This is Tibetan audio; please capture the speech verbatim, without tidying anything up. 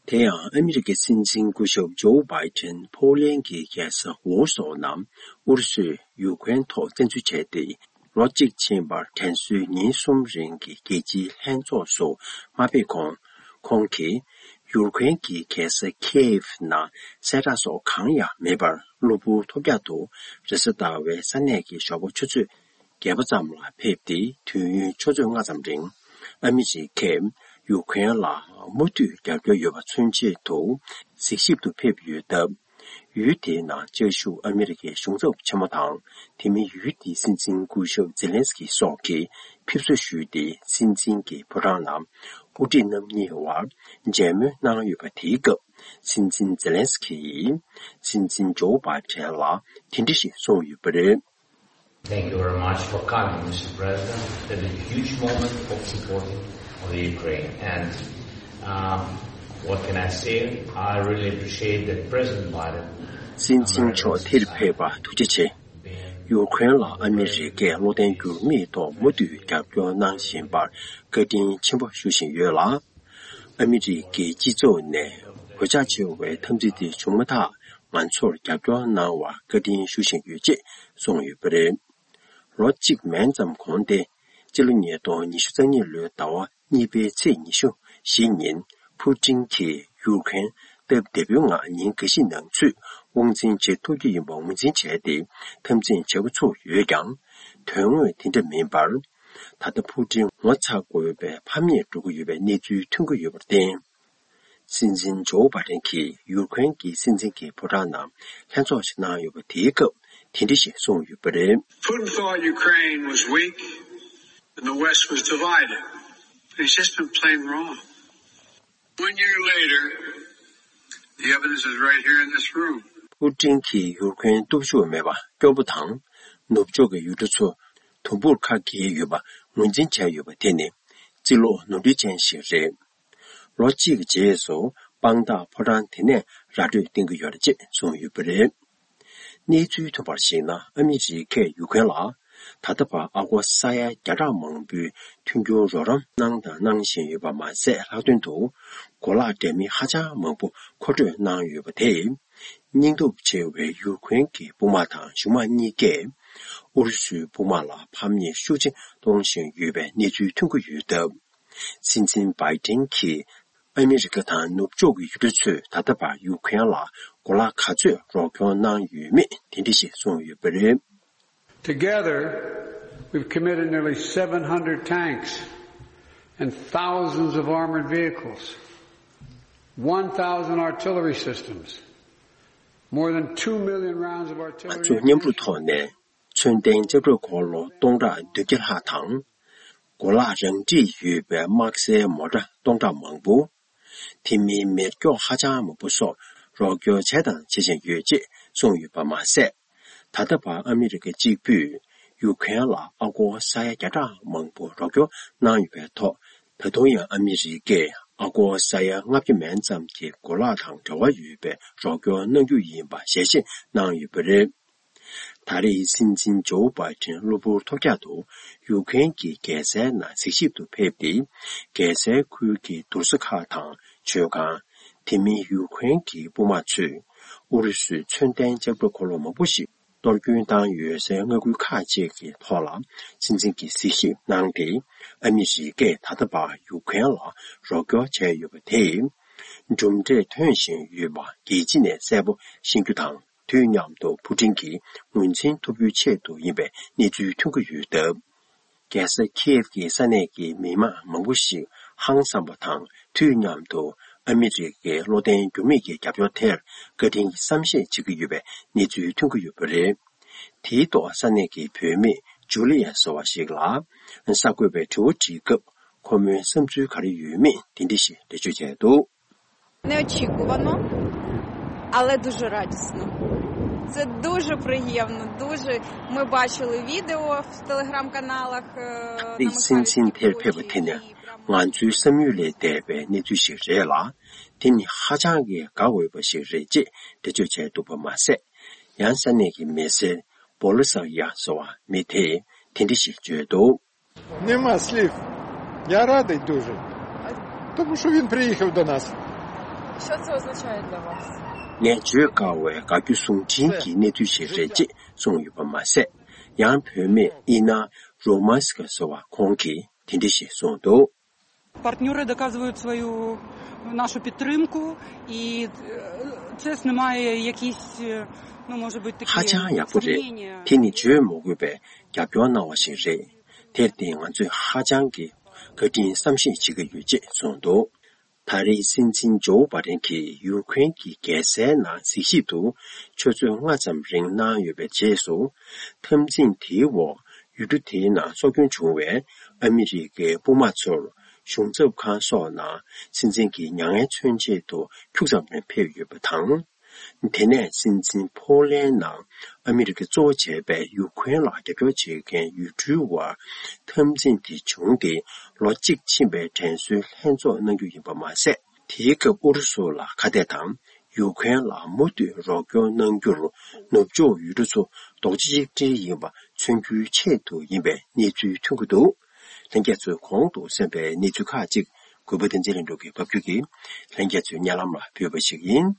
དེ་ཡང་ཨ་མི་རི་ཀའི་སྲིད་འཛིན་སྐུ་ཞབས་ཇོ་བྷའི་ཏན་པོ་ལན་གྱི་རྒྱལ་ས་ཝོར་སོ་ནང་ཨུ་རུ་སུས་ཡུ་ཀེ་རེན་ཐོག་བཙན་འཛུལ་བྱས་ཏེ་ལོ་གཅིག་ཕྱིན་པར་དྲན་གསོའི་ཉིན་གསུམ་རིང་གི་རྒྱལ་སྤྱིའི་ལྷན་ཚོགས་སུ་མ་ཕེབས་གོང་། ཁོང་གིས་ཡུ་ཀེ་རེན་གྱི་རྒྱལ་ས་ཁེ་ཡེབ་ནང་གསལ་བསྒྲགས་སོགས་གང་ཡང་མེད་པར་གློ་བུར་ཐོལ་རྒྱག་ཏུ་རེས་གཟའ་ཟླ་བའི་ས་གནས་ཀྱི་ཞོགས་པ་ཆུ་ཚོད་བརྒྱད་པ་ཙམ་ལ་ཕེབས་ཏེ། དུས་ཡུན་ཆུ་ཚོད་ལྔ་ཙམ་རིང་ཨ་མི་རི་ཀས་ཡུ་ཀེ་རེན་ལ་མུ་མཐུད་རྒྱབ་སྐྱོར་ཡོད་པ་མཚོན་ཆེད་དུ་གཟིགས་ཞིབ་ཏུ་ཕེབས་ཡོད་སྟབས། ཡུལ་དེའི་ནང་བཅའ་བཞུགས་ཨ་མི་རི་ཀའི་གཞུང་ཚབ་ཆེན་མོ་དང་། དེ་མིན་ཡུལ་དེའི་སྲིད་འཛིན་སྐུ་ཞབས་ཛེ་ལན་སི་ཀི་སོགས་ཀྱིས་ཕེབས་བསུ་ཞུས་ཏེ། སྲིད་འཛིན་གྱི་ཕོ་བྲང་ནང་དབུ་ཁྲིད་རྣམ་གཉིས་དབར་མཇལ་མོལ་གནང་ཡོད་པ། དེའི་སྐབས་སྲིད་འཛིན་ཛེ་ལན་སི་ཀི་ཡིས་སྲིད་འཛིན་ཇོ་བྷའི་ཏན་ལ་དེ་འདྲ་ཞིག་གསུངས་ཡོད་པ་རེད། Thank you very much for coming, Mister President. That is a huge moment of supporting of the Ukraine. And, um, what can I say? I really appreciate that President Biden. སྲིད་འཛིན་མཆོག་དེར་ཕེབས་པར་ཐུགས་རྗེ་ཆེ། ཡུ་ཁུ་རེན་ལ་ཨ་མི་རི་ཀས་བློ་བརྟན་འགྱུར་མེད་ཐོག་མུ་མཐུད་རྒྱབ་སྐྱོར་གནང་བཞིན་པར་བཀའ་དྲིན་ཆེན་པོ་ཞུ་བཞིན་ཡོད་ལ། ཨ་མི་རི་ཀའི་སྤྱི་ཚོགས་ནས་གོད་ཆག་ཆེ་བའི་འཐབ་འཛིང་དེ་བྱུང་མ་ཐག་ང་ཚོར་རྒྱབ་སྐྱོར་གནང་བར་བཀའ་དྲིན་ཞུ་བཞིན་ཡོད་ཅེས་གསུངས་ཡོད་པ་རེད། ལོ་གཅིག་མན་ཙམ་གོང་སྟེ། སྤྱི་ལོ་ཉིས་སྟོང་ཉི་ཤུ་རྩ་གཉིས་ལོའི་ཟླ་བ་གཉིས་པའི་ཚེས་ཉི་ཤུ་བཞི་ཉིན། ཕུ་ཀྲིན་གྱིས་ཡུ་ཁུ་རེན་སྟབས་བདེ་པོའི་ངང་ཉིན་འགའ་ཤས་ནང་ཚུད་དབང་འཛིན་བྱེད་ཐུབ་རྒྱུ་ཡིན་པ་ངོས་འཛིན་བྱས་ཏེ། འཐབ་འཛིང་བྱེད་འགོ་ཚུགས་ཡོད་ཀྱང་། དོན་དངོས་དེ་འདྲ་མིན་པར། ད་ལྟ་ཕུ་ཀྲིན་ངོ་ཚ་དགོས་པའི་ཕམ་ཉེས་འགྲོ་གི་ཡོད་པའི་གནས་ཚུལ་ཐོན་གྱི་ཡོད་པར་བརྟེན། སྲིད་འཛིན་ཇོ་བྷའི་ཏན་གྱིས་ཡུ་ཀེ་རེན་གྱི་སྲིད་འཛིན་གྱི་ཕོ་བྲང་ནང་ལྷན་ཚོགས་ཤིག་གནང་ཡོད་པ། དེའི་སྐབས་དེ་འདྲ་ཞིག་གསུངས་ཡོད་པ་རེད། Putin thought Ukraine was weak and the West was divided. He's just been plain wrong. One year later, the evidence is right here in this room. ཕུ་ཀྲིན་གྱིས་ཡུ་ཀེ་རེན་སྟོབས་ཤུགས་མེད་པ་སྐྱོ་པོ་དང་། ནུབ་ཕྱོགས་ཀྱི་ཡུལ་གྲུ་ཚོ་དུམ་བུར་ཁ་གྱེས་ཡོད་པ་ངོས་འཛིན་བྱས་ཡོད་པ་དེ་ནི་རྩིས་ལོག་ནོར་འཁྲུལ་ཅན་ཞིག་རེད། ལོ་གཅིག་གི་རྗེས་སུ་དཔང་རྟགས་ཕོ་བྲང་དེ་ནས་ར་སྤྲོད་གཏོང་གི་ཡོད་རེད་ཅེས་གསུངས་ཡོད་པ་རེད། གནས་ཚུལ་ཐོན་པར་གཞིགས་ན། ཨ་མི་རི་ཀས་ཡུ་ཀེ་རེན་ལ་ད་ལྟ་བར་ཨ་སྒོར་ས་ཡ་བརྒྱ་ཕྲག་མང་པོའི་མཐུན་འགྱུར་རོགས་རམ་གནང་དང་གནང་བཞིན་ཡོད་པ་མ་ཟད། ལྷག་དོན་དུ་གོ་ལག་འདྲ་མིན་ཧ་ཅང་མང་པོ་མཁོ་སྤྲོད་གནང་ཡོད་པ་དེས། སྙིང་སྟོབས་ཆེ་བའི་ཡུ་ཀེ་རེན་གྱི་དཔུང་དམག་དང་གཞུང་དམག་གཉིས་ཀས་ཨུ་རུ་སུའི་དཔུང་དམག་ལ་ཕམ་ཉེས་ཤུགས་ཆེ་གཏོང་བཞིན་ཡོད་པའི་གནས་ཚུལ་ཐོན་གྱི་ཡོད་སྟབས། སྲིད་འཛིན་བྷའི་ཏན་གྱིས་ཨ་མི་རི་ཀ་དང་ནུབ་ཕྱོགས་ཀྱི་ཡུལ་གྲུ་ཚོས་ད་ལྟ་བར་ཡུ་ཀེ་རེན་ལ་གོ་ལག་ག་ཚོད་རོགས་སྐྱོར་གནང་ཡོད་མེད་དེ་འདྲ་ཞིག་གསུངས་ཡོད་པ་རེད། Together, we've committed nearly seven hundred tanks and thousands of armored vehicles, one thousand artillery systems, more than two million rounds of artillery ammunition. ང་ཚོ་མཉམ་རུབ་ཐོག་ནས་མཚོན་ལྡན་ལྕགས་སྒྲོག་འཁོར་ལོ་སྟོང་ཕྲག་བདུན་བརྒྱ་ལྷག་དང་། གོ་ལག་རང་འཁྲི་ཡོད་པའི་དམག་སའི་མོ་ཊ་སྟོང་ཕྲག་མང་པོ། དེ་མིན་མེ་སྒྱོགས་ཧ་ཅང་མང་པོ་སོགས་རོགས་སྐྱོར་བྱས་དང་བྱེད་བཞིན་ཡོད་ཅེས་གསུངས་ཡོད་པ་མ་ཟད། ད་ལྟ་བར་ཨ་མི་རི་ཀ་གཅིག་པུས་ཡུ་ཀེ་རེན་ལ་ཨ་སྒོར་ས་ཡ་བརྒྱ་ཕྲག་མང་པོ་རོགས་སྐྱོར་གནང་ཡོད་པའི་ཐོག་ད་དུང་ཡང་ཨ་མི་རི་ཀས་ཨ་སྒོར་ས་ཡ་ལྔ་བརྒྱ་མན་ཙམ་གྱི་གོ་ལག་དང་འབྲེལ་བ་ཡོད་པའི་རོགས་སྐྱོར་གནང་རྒྱུ་ཡིན་པ་ཞལ་བཞེས་གནང་ཡོད་པ་རེད། ད་རེས་སྲིད་འཛིན་ཇོ་བྷའི་ཏན་གློ་བུར་ཐོལ་རྒྱག་ཏུ་ཡུ་ཀེ་རེན་གྱི་རྒྱལ་སའི་ནང་གཟིགས་ཞིབ་ཏུ་ཕེབས་ཏེ། རྒྱལ་སའི་ཁུལ་གྱི་དུར་ས་ཁག་དང་མཆོད་ཁང་། དེ་མིན་ཡུ་ཀེ་རེན་གྱི་དཔུང་དམག་ཚོས་ཨུ་རུ་སུའི་མཚོན་ལྡན་ལྕགས་སྒྲོག་འཁོར་ལོ་མང་པོ་ཞིག་གཏོར་སྐྱོན་བཏང་ཡོད་སའི་མངའ་ཁུལ་ཁག་ཅིག་གི་ཐོག་ལ་སྲིད་འཛིན་གྱིས་གཟིགས་ཞིབ་གནང་སྟེ། ཨ་མི་རི་ཀས་ད་ལྟ་བར་ཡུ་ཀེ་རེན་ལ་རོགས་སྐྱོར་བྱས་ཡོད་པ་དེས་གྲུབ་འབྲས་ཐོན་བཞིན་ཡོད་པ་རྒྱལ་སྤྱི་ནས་གསལ་པོ་ཤེས་རྒྱུ་དང་། དུས་མཉམ་དུ་ཕུ་ཀྲིན་གྱིས་ངོས་འཛིན་ཐུབ་རྒྱུའི་ཆེད་དུ་ཡིན་པའི་གནས་ཚུལ་ཐོན་གྱི་ཡོད་སྟབས། རྒྱལ་ས་ཁིའེབ་ཀྱི་ས་གནས་ཀྱི་མི་མང་མང་པོ་ཞིག་ཧང་སངས་པ་དང་། དུས་མཉམ་དུ་ཨ་མི་རི་ཀའི་བློ་བརྟན་འགྱུར་མེད་ཀྱི་རྒྱབ་སྐྱོར་དེར་བཀའ་དྲིན་གྱི་བསམ་ཤེས་བྱེད་ཀྱི་ཡོད་པའི་གནས་ཚུལ་ཐོན་གྱི་ཡོད་པ་རེད། དེའི་ཐོག་ས་གནས་ཀྱི་བུད་མེད་ཇུ་ལི་ཡ་ཟེར་བ་ཞིག་ལ་གསར་འགོད་པས་དྲི་བ་དྲིས་སྐབས། ཁོ་མོའི་བསམ་ཚུལ་ག་རེ་ཡོད་མེད་དེ་འདྲ་ཞིག་འགྲེལ་བརྗོད་བྱས་འདུག Неочікувано, але дуже радісно. Це дуже приємно, дуже. Ми бачили відео в телеграм-каналах. Е, намисхальські син sin ter phe ba te ne, ngan zu sam yu le de be ne zu shi re la, te ni ha chang ge ga we ba shi re je, de jo che du ba ma se. Yang sa ne ge me se, bo le sa ya so wa, me te, te de shi je do. Нема слів. Я радий дуже. Тому що він приїхав до нас. Что это означает для вас? ངས་བརྗོད་དཀའ་བའི་དགའ་སྐྱོ་ཟུང་འབྲེལ་གྱི་གནས་ཚུལ་ཞིག་རེད་ཅེས་གསུངས་ཡོད་པ་མ་ཟད། ཡང་བུད་མེད་ཨི་ན་རོ་མཱ་སི་ཀ་ཟེར་བ་ཁོང་གིས་དེ་འདྲ་ཞིག་གསུངས་འདུག Партнёры доказывают свою, нашу підтримку, і це знімає якісь, ну, може бути, такі ཧ་ཅང་ཡག་པོ་རེད། དེ་ནི་བརྗོད་མི་དགོས་པའི་རྒྱབ་སྐྱོར་གནང་བ་ཞིག་རེད། དེར་བརྟེན་ང་ཚོས་ཧ་ཅང་གི་བཀའ་དྲིན་བསམ་ཤེས་བྱེད་ཀྱི་ཡོད་ཅེས་གསུངས་འདུག་ད་རེས་སྲིད་འཛིན་ཇོ་བྷ་ཌེན་གྱིས་ཡུ་ཁུ་རེན་གྱི་རྒྱལ་སའི་ནང་གཟིགས་ཞིབ་ཏུ་ཆུ་ཚོད་ལྔ་ཙམ་རིང་གནང་ཡོད་པའི་རྗེས་སུ། འཐབ་འཛིང་དེའི་འོག་ཡུལ་གྲུ་དེའི་ནང་སྲོག་སྐྱོན་བྱུང་བའི་ཨ་མི་རི་ཀའི་དཔུང་དམག་ཚོར་གཞུང་ཚབ་ཁང་སོགས་ནང་སྲིད་འཛིན་གྱི་མྱ་ངན་མཚོན་ཆེད་དུ་ཁྱུག་ཙམ་རིང་ཕེབས་ཡོད་པ་དང་། དེ་ནས་སྲིད་འཛིན་ཕོ་ལན་ནང་ཨ་མི་རི་ཀས་གཙོ་བོ་བྱས་པའི་ཡུ་ཁུ་རེན་ལ་རྒྱབ་སྐྱོར་བྱེད་མཁན་ཡུལ་གྲུའི་དབར་འཐབ་འཛིང་དེ་བྱུང་སྟེ་ལོ་གཅིག་ཕྱིན་པའི་དྲན་གསོའི་ལྷན་ཚོགས་གནང་རྒྱུ་ཡིན་པ་མ་ཟད། དེའི་སྐབས་ཨུ་རུ་སུ་ལ་ཁ་གཏད་དང་ཡུ་ཁུ་རེན་ལ་མུ་མཐུད་རོགས་སྐྱོར་གནང་རྒྱུར་ནུབ་ཕྱོགས་ཡུལ་གྲུ་ཚོ་རྡོག་རྩ་གཅིག་སྒྲིལ་ཡིན་པ་མཚོན་རྒྱུའི་ཆེད་དུ་ཡིན་པའི་གནས་ཚུལ་ཐོན་གྱི་འདུག་ལྷན་རྒྱས་ཚོས་གོང་དུ་གསན་པའི་གནས་ཚུལ་ཁག་ཅིག་གུས་པ་བསྟན་འཛིན་ལྷུན་གྲུབ་ཀྱིས་ཕབ་སྒྱུར་གྱིས་ལྷན་རྒྱས་ཚོའི་སྙན་ལམ་ལ་ཕུལ་བ་ཞིག་ཡིན།